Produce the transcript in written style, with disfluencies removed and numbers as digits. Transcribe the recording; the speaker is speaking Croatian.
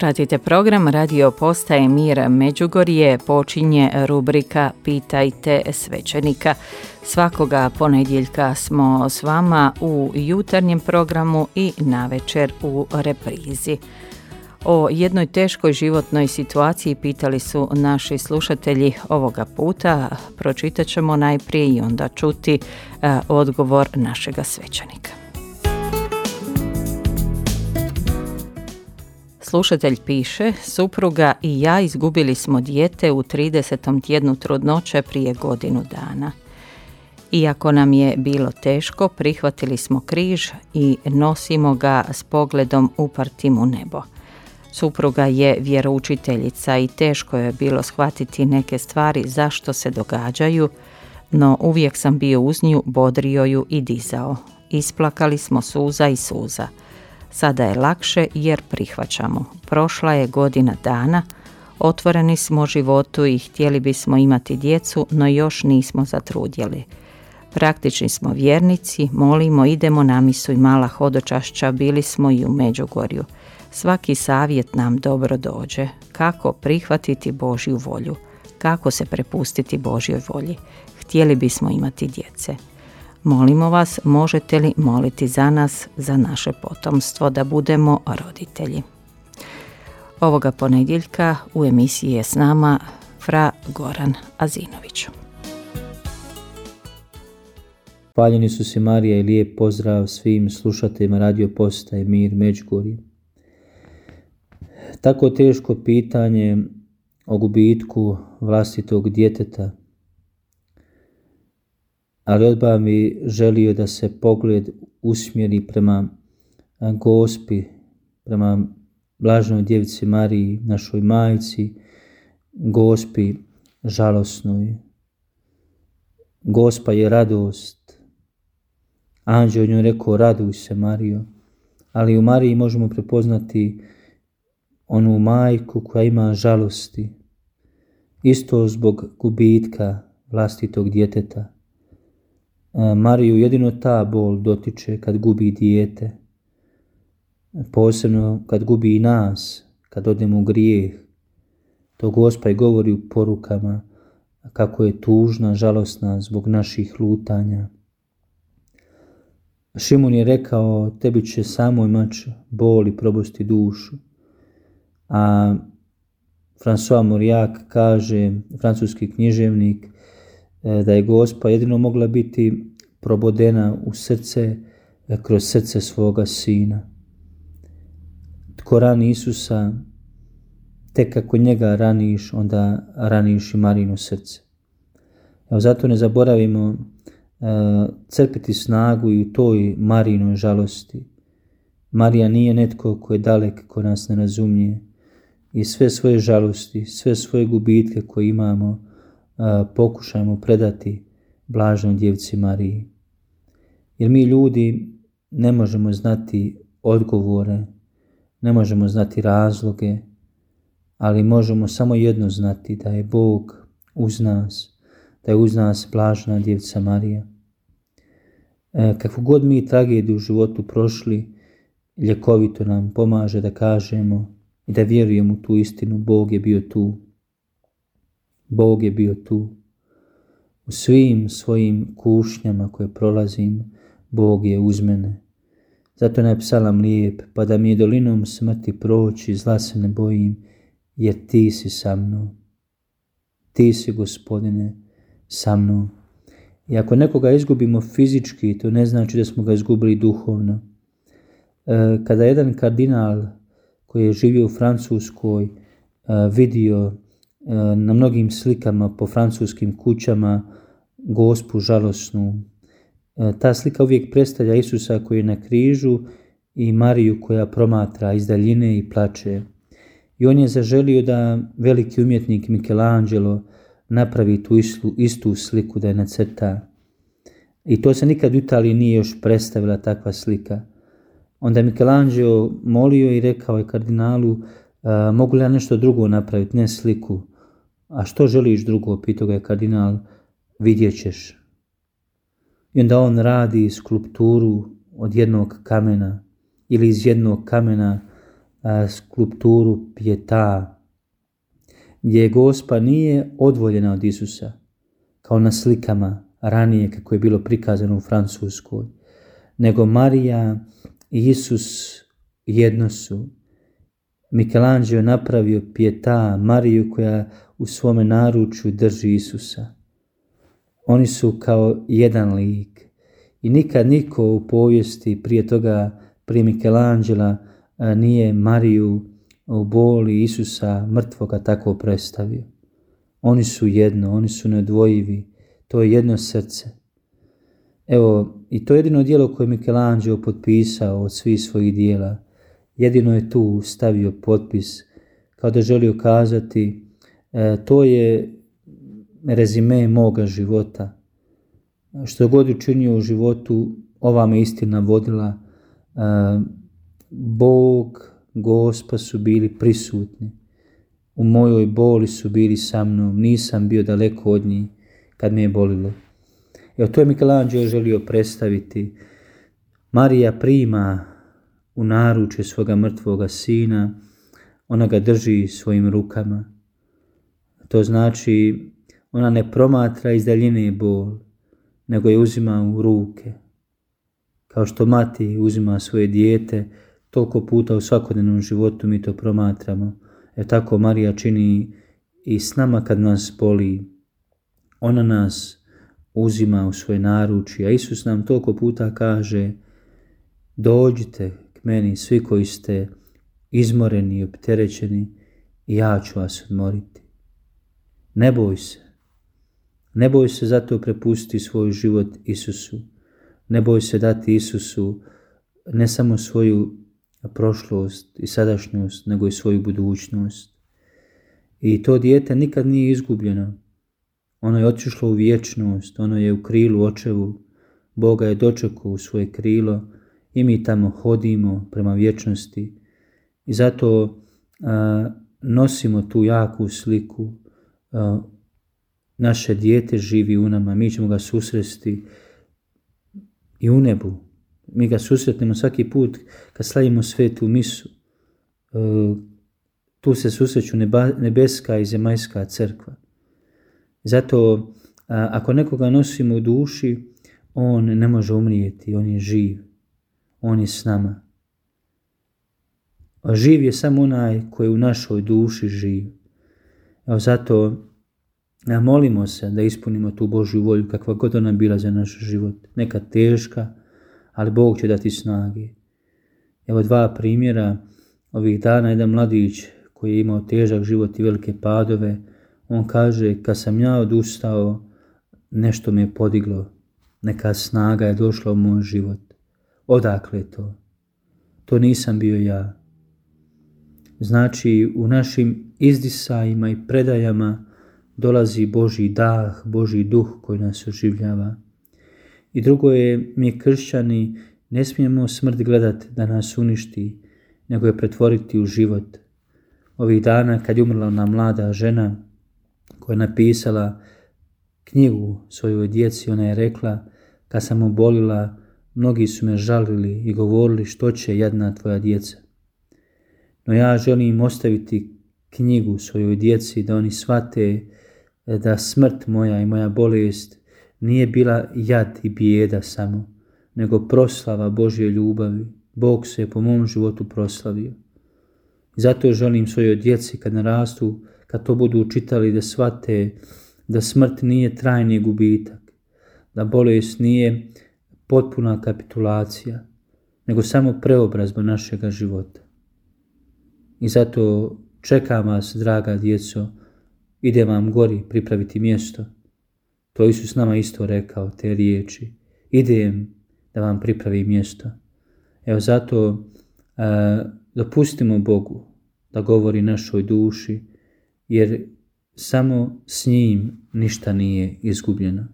Pratite program Radio Postaje Mir Međugorje, počinje rubrika Pitajte svećenika. Svakoga ponedjeljka smo s vama u jutarnjem programu i navečer u reprizi. O jednoj teškoj životnoj situaciji pitali su naši slušatelji ovoga puta. Pročitat ćemo najprije i onda čuti odgovor našega svećenika. Slušatelj piše, supruga i ja izgubili smo dijete u 30. tjednu trudnoće prije godinu dana. Iako nam je bilo teško, prihvatili smo križ i nosimo ga s pogledom upartim u nebo. Supruga je vjeroučiteljica i teško je bilo shvatiti neke stvari zašto se događaju, no uvijek sam bio uz nju, bodrio ju i dizao. Isplakali smo suza i suza. Sada je lakše jer prihvaćamo. Prošla je godina dana, otvoreni smo životu i htjeli bismo imati djecu, no još nismo zatrudjeli. Praktični smo vjernici, molimo, idemo na misu i mala hodočašća, bili smo i u Međugorju. Svaki savjet nam dobro dođe. Kako prihvatiti Božju volju? Kako se prepustiti Božjoj volji? Htjeli bismo imati djece. Molimo vas, možete li moliti za nas, za naše potomstvo, da budemo roditelji? Ovoga ponedjeljka u emisiji je s nama fra Goran Azinović. Hvaljeni su si Marija i lijep pozdrav svim slušateljima Radio Postaje Mir Međugorje. Tako teško pitanje o gubitku vlastitog djeteta, ali odmah bi želio da se pogled usmjeri prema Gospi, prema blaženoj djevici Mariji, našoj majci, Gospi žalosnoj. Gospa je radost. Anđeo njoj rekao, raduj se Marijo, ali u Mariji možemo prepoznati onu majku koja ima žalosti, isto zbog gubitka vlastitog djeteta. Mariju jedino ta bol dotiče kad gubi dijete, posebno kad gubi i nas, kad odemo u grijeh. To Gospa i govori u porukama kako je tužna, žalosna zbog naših lutanja. Šimun je rekao, tebi će samoj mač boli probosti dušu. A François Mauriac kaže, francuski književnik, da je Gospa jedino mogla biti probodena u srce kroz srce svoga sina. Tko rani Isusa, tek kako njega raniš, onda raniš i Marino srce. Evo, zato ne zaboravimo crpiti snagu i u toj Marinoj žalosti. Marija nije netko ko je dalek, ko nas ne razumije. I sve svoje žalosti, sve svoje gubitke koje imamo, pokušajmo predati blaženoj djevici Mariji. Jer mi ljudi ne možemo znati odgovore, ne možemo znati razloge, ali možemo samo jedno znati, da je Bog uz nas, da je uz nas blažena djevica Marija. Kakvu god mi tragediju u životu prošli, ljekovito nam pomaže da kažemo i da vjerujemo u tu istinu, Bog je bio tu. Bog je bio tu. U svim svojim kušnjama koje prolazim, Bog je uz mene. Zato je psalam lijep, pa da mi je dolinom smrti proći, zla se ne bojim, jer ti si sa mnom. Ti si, Gospodine, sa mnom. I ako nekoga izgubimo fizički, to ne znači da smo ga izgubili duhovno. Kada jedan kardinal koji je živio u Francuskoj vidio na mnogim slikama po francuskim kućama Gospu žalosnu, ta slika uvijek predstavlja Isusa koji je na križu i Mariju koja promatra iz daljine i plače. I on je zaželio da veliki umjetnik Michelangelo napravi tu istu sliku, da je nacrta. I to se nikad u Italiji nije još predstavila takva slika. Onda je Michelangelo molio i rekao je kardinalu, mogu li ja nešto drugo napraviti, ne sliku? A što želiš drugo, pitao ga je kardinal, vidjet ćeš. I onda on radi skulpturu od jednog kamena ili iz jednog kamena skulpturu Pieta, gdje Gospa nije odvoljena od Isusa, kao na slikama ranije kako je bilo prikazano u Francuskoj, nego Marija i Isus jedno su. Michelangelo je napravio Pieta, Mariju koja u svome naručju drži Isusa. Oni su kao jedan lik i nikad niko u povijesti prije toga, prije Michelangela, nije Mariju u boli Isusa mrtvoga tako predstavio. Oni su jedno, oni su neodvojivi, to je jedno srce. Evo, i to je jedino djelo koje je Michelangelo potpisao od svih svojih djela. Jedino je tu stavio potpis, kao da želio kazati, to je rezime moga života. Što god učinio u životu, ova me istina vodila. Bog, Gospa su bili prisutni. U mojoj boli su bili sa mnom, nisam bio daleko od njih kad me je bolilo. Evo, to je Michelangelo želio predstaviti. Marija prima u naručje svoga mrtvoga sina, ona ga drži svojim rukama. To znači, ona ne promatra iz daljine bol, nego je uzima u ruke. Kao što mati uzima svoje dijete, toliko puta u svakodnevnom životu mi to promatramo. Tako Marija čini i s nama kad nas boli. Ona nas uzima u svoje naručje, a Isus nam toliko puta kaže, dođite k meni svi koji ste izmoreni i opterećeni i ja ću vas odmoriti. Ne boj se. Ne boj se zato prepustiti svoj život Isusu. Ne boj se dati Isusu ne samo svoju prošlost i sadašnjost, nego i svoju budućnost. I to dijete nikad nije izgubljeno. Ono je otišlo u vječnost, ono je u krilu očevu. Boga je dočekao u svoje krilo i mi tamo hodimo prema vječnosti. I zato nosimo tu jaku sliku. Naše dijete živi u nama, mi ćemo ga susresti i u nebu. Mi ga susretnemo svaki put kad slavimo svetu misu. Tu se susreću nebeska i zemaljska crkva. Zato ako nekoga nosimo u duši, on ne može umrijeti, on je živ. On je s nama. A živ je samo onaj koji u našoj duši živ. Evo zato molimo se da ispunimo tu Božju volju kakva god ona bila za naš život. Nekad teška, ali Bog će dati snage. Evo 2 primjera. Ovih dana jedan mladić koji je imao težak život i velike padove, on kaže, kad sam ja odustao, nešto me je podiglo. Neka snaga je došla u moj život. Odakle je to? To nisam bio ja. Znači, u našim izdisajima i predajama dolazi Božji dah, Božji duh koji nas oživljava. I drugo je, mi kršćani ne smijemo smrt gledati da nas uništi, nego je pretvoriti u život. Ovih dana kad je umrla ona mlada žena koja je napisala knjigu svojoj djeci, ona je rekla, kad sam obolila, mnogi su me žalili i govorili što će jadna tvoja djeca. No ja želim ostaviti knjigu svojoj djeci da oni shvate da smrt moja i moja bolest nije bila jad i bijeda samo, nego proslava Božje ljubavi. Bog se po mom životu proslavio. I zato želim svojoj djeci kad narastu, kad to budu čitali, da shvate da smrt nije trajni gubitak, da bolest nije potpuna kapitulacija, nego samo preobrazba našega života. I zato čekam vas, draga djeco, idem vam gori pripraviti mjesto. To Isus nama isto rekao, te riječi. Idem da vam pripravim mjesto. Evo zato dopustimo Bogu da govori našoj duši, jer samo s njim ništa nije izgubljeno.